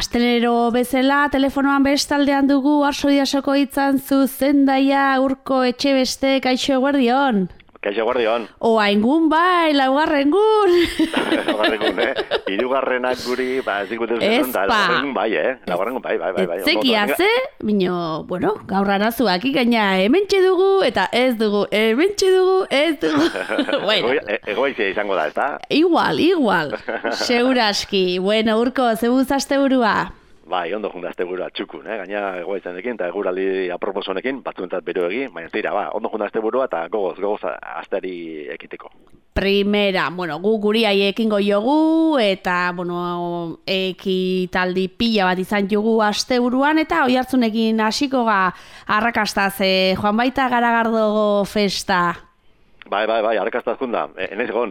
astelero bezala, telefonoan bestaldean dugu Arsoiasoko itzan zuzendaia Urko Etxebeste, kaixo eguerdion. Kaixo eguerdion. Oaingun bai, laugarrengun. Laugarrengun, Hirugarrenak guri, ez dikute zuzen da, laugarrengun bai, Laugarrengun bai. Etzekia ze, bino, bueno, gaur arazuak ikaina hementxe dugu, eta ez dugu, hementxe dugu, ez dugu. Bueno. Egoizia izango da, ez da? Igual, seguraski. Bueno, Urko, zebuz asteburua? Bai, ondo junda asteburua txukun, gaina egoizanekin eta eguraldi aproposonekin, batzuentzat beroegi, baina tira, ondo junda asteburua eta gogoz asteari ekiteko. Primera, bueno, guri ekingo jogu, eta, bueno, ekitaldi pila bat izan jogu asteburuan, eta oihartzunekin hasiko arrakastaz, joan baita Garagardo festa. Bai, arrakastaz junda, enez egon.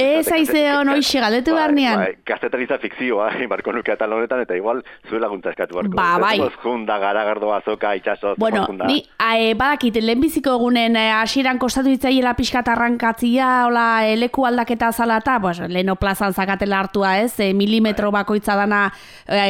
Ez aizeon, oixe, galdetu barnean. Gaztetaritza fikzioa, barko nuke atal honetan, eta igual zuen laguntza eskatu barko. Bai. Junda, Garagardo, azoka, itxaso, bueno, ni badakit, lehenbiziko egunen hasieran kostatu ditzaiela pixkat arrankatzia, hola, leku aldaketa zalata, pues, leheno plazan zakatela hartua ez, milimetro bakoitza dana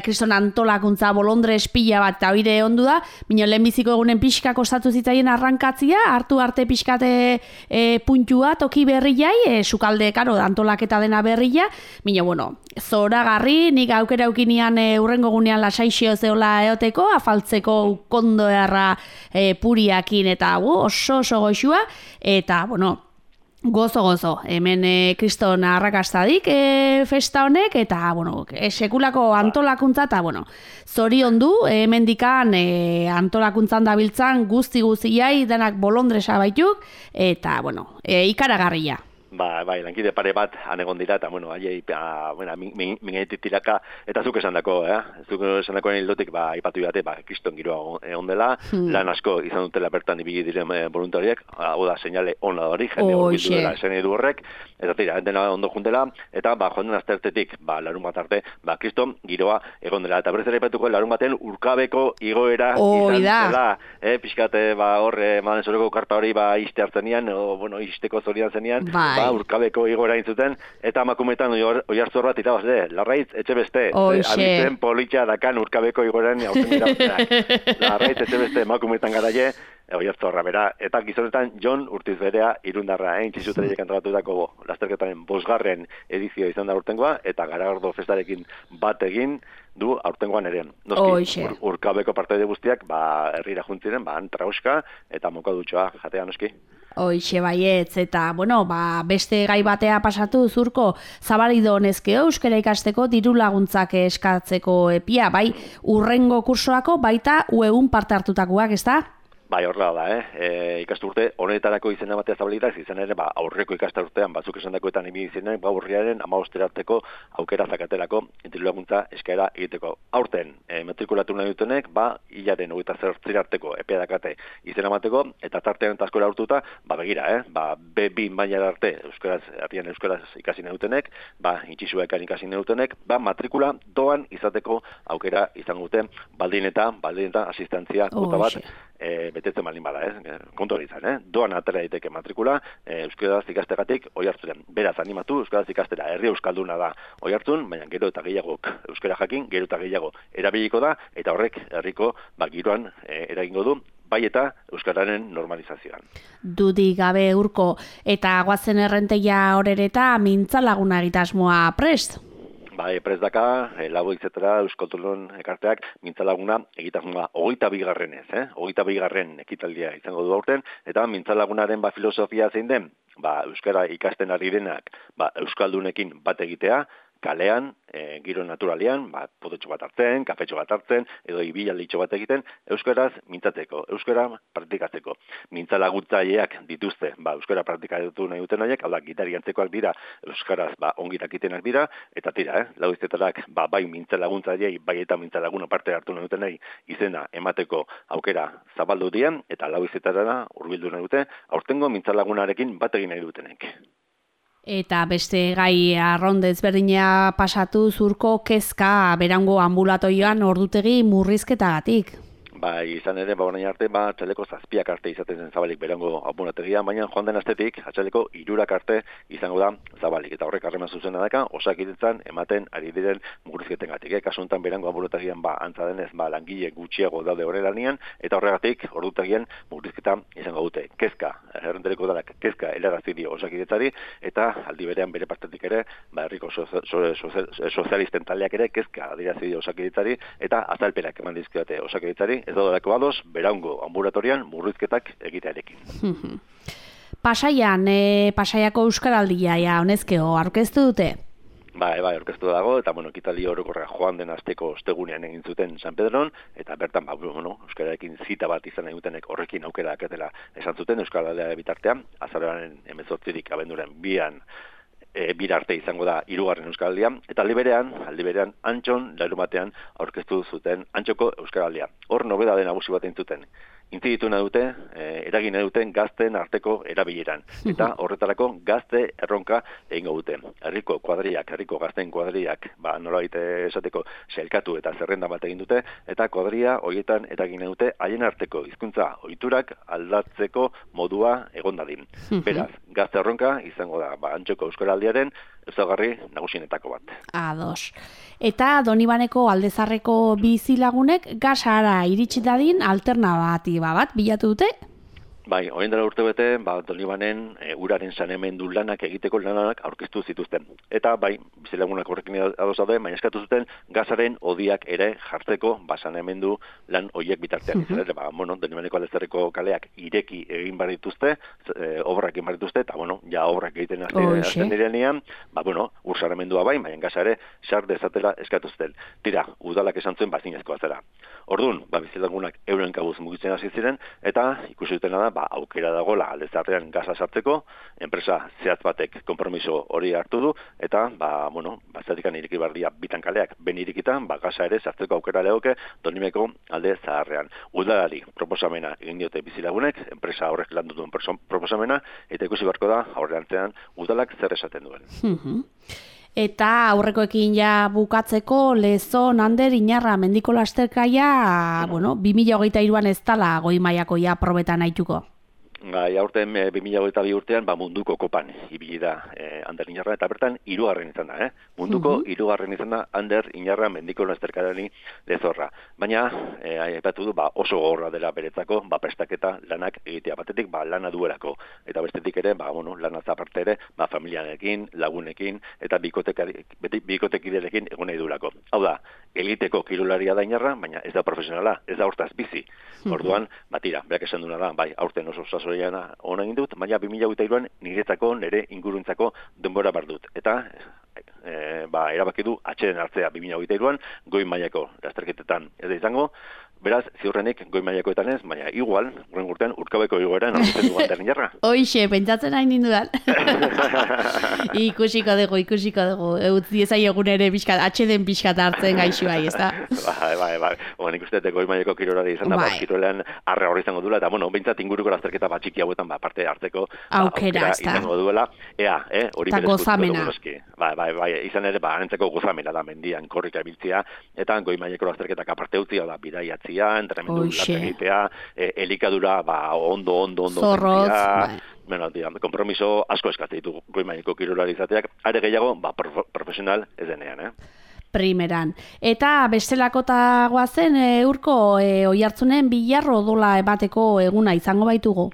kriston antolakuntza bolondres pila bat, eta oire ondu da, bino lehenbiziko egunen pixka kostatu zitzaien arrankatzia, hartu arte pixkate puntua, toki berriai, sukalde, karo, antolaketa dena berria, bino, bueno, zoragarri, nik aukera eukinian urrengo gunean lasaixio zeola eoteko, afaltzeko kondo erra puriakin, eta oso goxua, eta, bueno, gozo, hemen kriston arrakastadik festa honek, eta, bueno, sekulako antolakuntza, eta, bueno, zorion du, hemendikan antolakuntzan dabiltzan guzti-guztiai, denak bolondresa baituk, eta, bueno, ikaragarria. Bai, lankide pare bat anegon dira, eta, bueno, aiei, mingetik tiraka, eta zuk esan dako, Zuk esan dakoen hildotik, ipatu dute, kriston giroa egon dela, lan asko izan dutela bertan ibili diren voluntariak, hau da, seinale ona hori, jende hori bildu dela, esen edu horrek, eta tira, dena ondo juntela, eta, joan den aztertetik, larun bat arte, kriston giroa egon dela, eta berez ere ipatuko, larun baten urkabeko igoera izan dela, pixkate, horre, maden zoreko karpa hori, iste hartzenian, isteko zorian zenian, urkabeko igoera intzuten, eta emakumetan oihartzor bat irabazle, Larraitz Etxebeste, abizen politxa dakan urkabeko igoeran hautzen irabazleak. Larraitz Etxebeste emakumetan garaie, oihartzorra bera, eta gizonetan Jon Urtizberea irundarra, txisutreiek antolatutako lasterketaren 5. edizio izan da urtengoa, eta Garagardo festarekin bat egin du aurtengoan ere. Noski, urkabeko partaide guztiak, herrira juntziren, antrauska, eta mokadutxoa jatea, noski. Hoixe baietz, eta, bueno, beste gai batea pasatu Zurko, Zabarido honezkeo euskara ikasteko diru laguntzak eskatzeko epia, bai, urrengo kursoako baita uegun parte hartutakoak, ez da? Bai, horrela da, ikasturte honetarako izena batea zabalitak, izan ere, aurreko ikasturtean batzuk esan dakoetan imi izenen, urriaren 15 arteko aukera zakatelako diru laguntza eskaera egiteko. Aurten, matrikulatu nahi dutenek, hilaren 28 arteko epea dakate izena bateko, eta tartean eta askora urtuta, begira, B2 maila arte, herrian euskaraz ikasi nahi dutenek, intxisuekan ikasi nahi dutenek, matrikula doan izateko aukera izan dute, baldin eta asistentzia kuota bat, betetzen baldin bada, kontu hori izan, doan atera daiteke matrikula, euskaraz ikastegatik oihartzuren. Beraz, animatu, euskaraz ikastera, herri euskalduna da oihartzun, baina gero eta gehiago euskara jakin, gero eta gehiago erabiliko da, eta horrek herriko giroan eragingo du, bai eta euskararen normalizazioan. Dudik gabe Urko, eta goazen errenteia horereta mintzalaguna egitasmoa prest? Bai, prest daka, lago izetera Euskoltolon ekarteak mintzalaguna egitasmoa 22. 22. ekitaldia izango du aurten, eta mintzalagunaren filosofia zein den, euskara ikasten ari denak, euskaldunekin bat egitea, kalean, giro naturalean, pototxo bat hartzen, kafetxo bat hartzen, edo ibilalditxo bat egiten, euskaraz mintzateko, euskara praktikatzeko. Mintzalaguntzaileak dituzte, euskara praktikatu nahi duten horiek, hau da, gitari antzekoak dira, euskaraz ongirakitenak dira, eta tira, lau iztetarak, bai mintzalaguntzaileei, bai eta mintzalaguna parte hartu nahi duten nahi, izena emateko aukera zabaldu dien, eta lau iztetarara hurbildu nahi dute, aurtengo mintzalagunarekin bat egin nahi dutenek. Eta beste gai arrondez berdina pasatu Zurko kezka berango ambulatoioan ordutegi murrizketagatik. Bai, izan ere, orain arte, atxaleko 7 arte izaten zen zabalik berango apunategia, baina joan den astetik, atxaleko 3 arte izango da zabalik. Eta horrek harreman zuzena daka, Osakidetzan ematen ari diren murrizketengatik. Kasu honetan berango apunategian, antza denez, langile gutxiago daude horrelanian, eta horregatik, ordutagien murrizketa izango dute. Kezka, errendereko dalak, kezka helarazi dio Osakidetzari, eta aldi berean bere partetik ere, herriko sozialisten taldeak ere, kezka adierazi dio Osakidetzari, eta azalpenak eman dizkiote Osakidetzari, ez daudalako ados, berango ambulatorian murrizketak egitearekin. Pasaian, Pasaiako Euskaraldia, honezkeo, aurkeztu dute? Bai, aurkeztu dago, eta, ekitaldi orokorra joan den asteko ostegunean egin zuten San Pedron, eta bertan, euskararekin zita bat izan nahi dutenek horrekin aukera daketela esan zuten Euskaraldea bitartean, azaroaren 18 abenduaren 2 bir arte izango da 3. Euskaraldia, eta aldi berean Antxon larumatean aurkeztu zuten Antxoko Euskaraldia. Hor nobedade nagusi bat entzuten. Intziditu nahi dute, eragin nahi duten gazten arteko erabileran. Eta horretarako gazte erronka egingo dute. Herriko gazten kuadriak, nolabait esateko sailkatu eta zerrenda bat egin dute, eta kuadria horietan eragin nahi dute haien arteko hizkuntza ohiturak aldatzeko modua egon dadin. Beraz, gazte erronka izango da Antxoko Euskaraldiaren ezaugarri nagusienetako bat. Ados. Eta Donibaneko Aldezarreko bizilagunek gasara iritsi dadin alternatiba bat bilatu dute? Bai, orain dela urtebete, Donibanen uraren saneamendu lanak egiteko lanak aurkeztu zituzten. Eta bizilagunak horrekin ados daude, baina eskatu zuten gazaren odiak ere jartzeko saneamendu lan horiek bitartean. Donibaneko Aldezarreko kaleak ireki egin bar dituzte, obrak egin bar dituzte, eta obrak egiten hasten direnean, ur saneamendua baina gaza ere sar dezatela eskatu zuten. Tira, udalak esan zuen zinezkoa zera. Orduan, bizilagunak euren kabuz mugitzen hasi ziren, eta ikusi dutena da, aukera dagoela Aldezarrean gaza sartzeko, enpresa zehatz batek konpromiso hori hartu du, eta, zatikan iriki bardia bitan kaleak, ben irikitan, gaza ere sartzeko aukera lehoke Donibeko Aldezaharrean. Udalari proposamena egin diote bizilagunek, enpresa horrek landu duen proposamena, eta ikusi barko da, aurreantzean, udalak zer esaten duen. Eta aurrekoekin bukatzeko Lezon, Ander, Inarra, Mendiko lasterkaia, 2023an ez dala goi mailako probetan aituko. Aurten 2022 urtean munduko kopan ibili da Ander Inarra, eta bertan 3. izan da, munduko 3. izan da Ander Inarra Mendiko lasterkadani Lezorra. Baina, aipatu du, oso gogorra dela beretzako, prestaketa lanak egitea batetik, lana duelako. Eta bestetik ere, lanaz aparte ere, familianekin, lagunekin, eta bikotekiderekin egon nahi duelako. Hau da, eliteko kirolaria da Inarra, baina ez da profesionala, ez da hortaz bizi. Orduan, tira, berak esan duna da, aurten oso sasoiana ona egin dut, baina 2023an niretzako, nire inguruntzako denbora bar dut. Eta, erabaki du atxeden hartzea 2023an, goi mailako lasterketetan ez da izango, beraz, ziurrenik goi mailakoetan ez, baina igual, horren urtean, urkabeko igoeran, aurten du Ander Inarra. Hoixe, pentsatzen hain nindudan. Ikusiko dugu, utzi ezai egun ere atxeden pixkat hartzen gaixo ez da? Bai. Nik uste goi mailako kirolari izan da, kirolean arra hori izango duela, eta behintzat inguruko lasterketa txiki hauetan parte hartzeko aukera izango duela, hori berezkutuko dugu. Bai, izan ere, anentzako gozamena da mendian korrika biltzea, eta goi mailako lasterketak aparte utzi, bidaiatzia, entrenamendu lasterketea, elikadura, ondo zorrotz, kompromiso asko eskatzen ditu goi mailako kirolari izateak, are gehiago, profesional ez denean, Primeran. Eta bestelakotagoa zen, urko Oiartzunen Bilarro odola emateko eguna izango baitugu?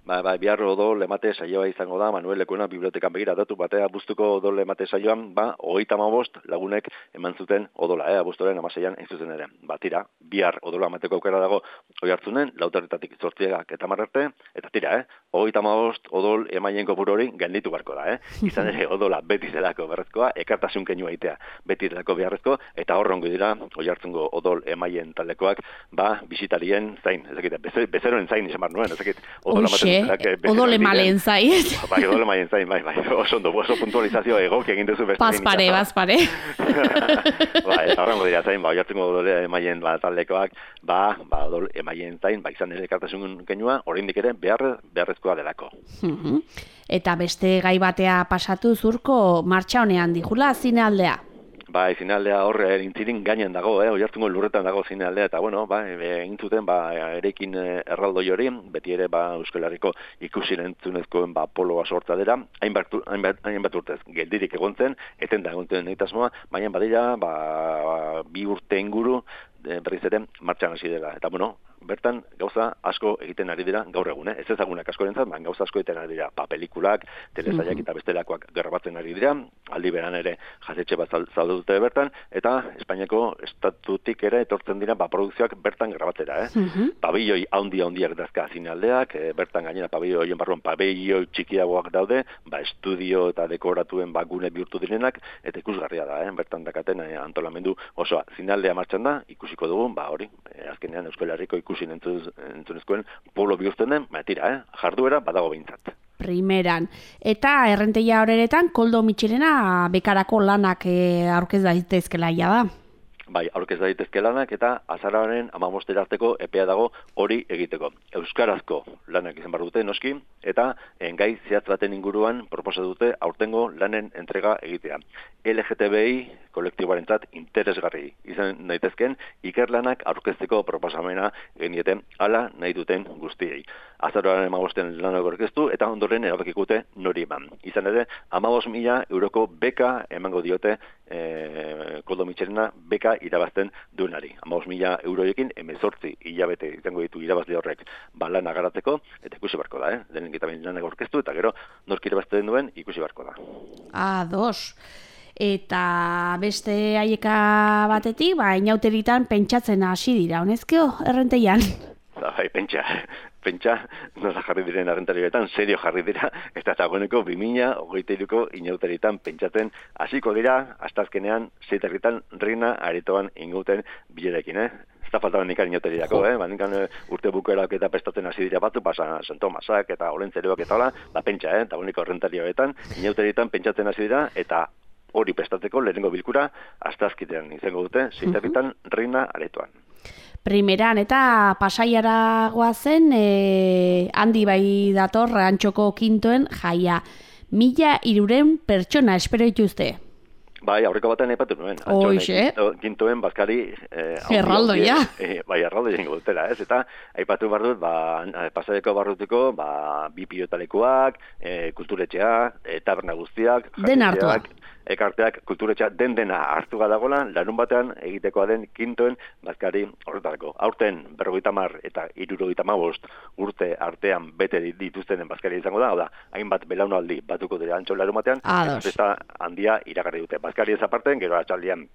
Biharro odol emate saioa izango da, Manuel Lekuena bibliotekan begira datu batea abuztuko odol emate saioan, 35 lagunek eman zuten odola, abuztuaren 16an hain zuzen ere. Tira, bihar odola emateko aukera dago Oiartzunen, 8 zortziak eta marrarte, eta tira, 35 odol emaien kopuru hori gainditu barko da, Izan ere odola beti zelako berrezkoa, ekartasun keinu aitea beti zelako beharrezko, eta horrongo dira Oiartzungo odol emaien taldekoak, bisitarien zain, bezeroen zain izan bar nuen, odola odole malen zain. Odole malen zain, bai. Oso puntualizazio egok egin duzu beste. Bazpare. Eta horrengo dira zain, Oiartzungo odole emaien taldekoak, odol emaien zain, izan ere ekartasun kenua, oraindik ere beharrezkoa delako. Eta beste gai batea pasatu zurko martxa honean dijula zinealdea. Bai, zinaldea horre intzirin gainen dago, oihartzungo lurretan dago zinaldea, eta bueno, egin zuten, erekin erraldoi hori, beti ere, Euskal Herriko ikusi entzunezkoen poloa sorta dira, hainbat urtez, geldirik egon zen, eten da egon zen egitasmoa, baina badira, 2 urte inguru, berriz ere, martxan hasi dela, eta bueno, bertan gauza asko egiten ari dira gaur egun, ez ezagunak askorentzat, baina gauza asko egiten ari dira, pelikulak, telesaiak eta bestelakoak grabatzen ari dira, aldi beran ere jatetxe bat zaude dute bertan, eta Espainiako estatutik ere etortzen dira produkzioak bertan grabatzera, Pabilloi handiak dazka zinaldeak, bertan gainera pabilloien barruan pabilloi txikiagoak daude, estudio eta dekoratuen gune bihurtu direnak, eta ikusgarria da, bertan dakaten antolamendu osoa. Zinaldea martxan da, ikusiko dugu, hori, azkenean Euskal Herriko ikusi entzunezkoen polo bihurtzen den, tira, jarduera badago behintzat. Primeran. Eta errenteia horeretan, Koldo Mitxelena bekarako lanak aurkez daitezkela da. Bai, aurkez daitezke lanak eta azaroaren 15 arteko epea dago hori egiteko. Euskarazko lanak izan behar dute, noski, eta gai zehatz baten inguruan proposa dute aurtengo lanen entrega egitea. LGTBI kolektiboarentzat interesgarri izan daitezken ikerlanak aurkezteko proposamena genieten hala nahi duten guztiei. Azaroaren 15 lanak aurkeztu eta ondoren erabakikute nori eman. Izan ere, 15.000 euroko beka emango diote Koldo Mitxelena beka irabazten duenari. 15.000 euroekin 18 hilabete izango ditu irabazle horrek lana garatzeko, eta ikusi barko da, lehenik eta lanak aurkeztu, eta gero nork irabazten duen ikusi barko da. Dos. Eta beste haieka batetik, inauteritan pentsatzen hasi dira, honezkeo, errenteian? Bai, pentsa, nola jarri diren errentarioetan, serio jarri dira, eta dagoeneko 2023ko inauteritan pentsatzen hasiko dira, hasta azkenean, zeiterritan reina aretoan inguten bilerekin, Ez da faltaban nikan inauterirako, nikan urte bukerak eta prestatzen hasi dira batzu, San Tomasak eta Olentzeroak eta hola, pentsa, dagoeneko errentarioetan, inauteritan pentsatzen hasi dira, eta hori prestatzeko lehenengo bilkura, hasta azkenean izango dute, zeiterritan reina aretoan. Primeran, eta Pasaiara goazen, handi bai dator, Antxoko Kintoen jaia. 1.300 pertsona espero dituzte. Bai, aurreko batean aipatu nuen. Kintoen bazkari... Erraldoia. Bai, erraldoia ingo dutela, ez? Eta aipatu behar dut, Pasaiako barrutiko, 2 pilotalekuak, kulturetxea, taberna guztiak, den hartua. Ekarteak kulturetxea dena hartu gadagola, larun batean egitekoa den Kintoen bazkari horretarako. Aurten 50 eta 75 urte artean bete dituztenen bazkari izango da, hau da, hainbat belaunaldi batuko dira Antxo larun batean, eta handia iragarri dute. Bazkari ez aparten, gero atxaldian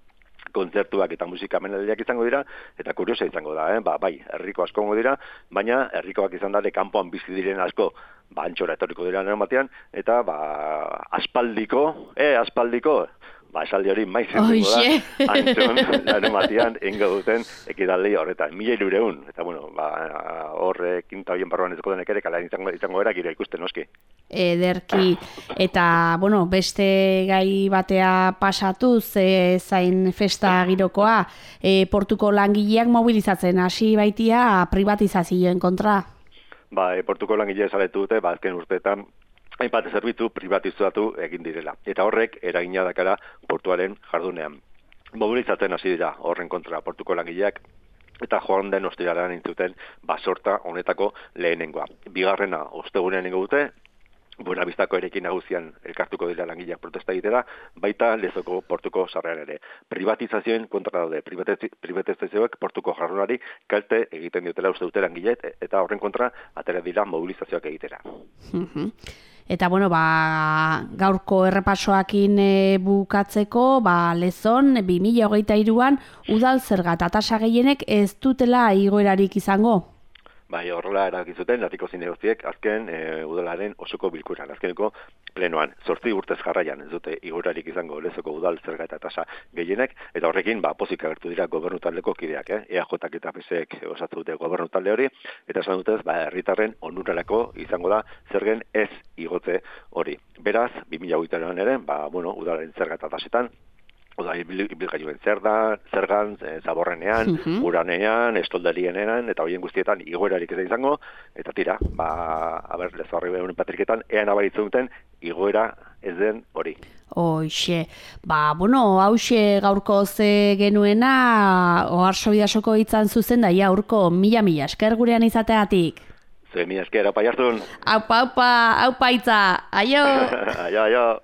kontzertuak eta musika menaldiak izango dira, eta kuriosa izango da, bai, herriko askongo dira, baina herrikoak izan da, kanpoan bizi diren asko, Antxora etorriko dira nero batean, eta aspaldiko, esaldi hori maizen dugu da, Antxon nero batean ingo duten ekidaldi horretan, 1.300, eta bueno, horre kinta horien barruan ezko denek ere, kala izango era, giro ikusten noski. Ederki, eta, bueno, beste gai batea pasatuz, zain festa girokoa, portuko langileak mobilizatzen hasi baitia privatizazioen kontra. Portuko langileak saletu dute, azken urteetan, hainbat zerbitzu privatizatu egin direla. Eta horrek eragina dakara portuaren jardunean. Mobilizatzen hasi dira horren kontra portuko langileak, eta joan den ostiralean intzuten basorta honetako lehenengoa. Bigarrena ostegunean ingo dute, Buenavistako erekin nagusian elkartuko dira langileak protesta egitera, baita Lezoko portuko sarrean ere. Privatizazioen kontra daude, privatizazioek portuko jardunari kalte egiten diotela uste dute langileet, eta horren kontra atera dira mobilizazioak egitera. Eta bueno, gaurko errepasoakin bukatzeko, Lezon 2023an udal zerga eta tasa gehienek ez dutela igoerarik izango. Horrela erakizuten, latiko zinegoztiek, azken udalaren osoko bilkuran, azkeneko plenoan. 8 urtez jarraian ez dute igoerarik izango Lezoko udal zerga eta tasa gehienek, eta horrekin pozik agertu dira gobernutaldeko kideak, EAJak eta PSek osatu dute gobernutalde hori, eta esan dutez, herritarren onurarako izango da zergen ez igotze hori. Beraz, 2023an ere, udalaren zerga eta tasetan, Oda, ibilgailuen zergan, zaborrenean, uranean, estoldarienean, eta hoien guztietan igoerarik ez da izango, eta tira, Lezorri Behunen patriketan, ean abaritzen duten igoera ez den hori. Hoxe, hause gaurko ze genuena, Oarso Bidasoko hitzan zuzen da, urko, mila esker gurean izateatik. Zue mila esker, aupa jartun. Aupa hitza, aio! Aio.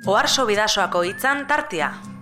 Oarso Bidasoako hitzan tartea.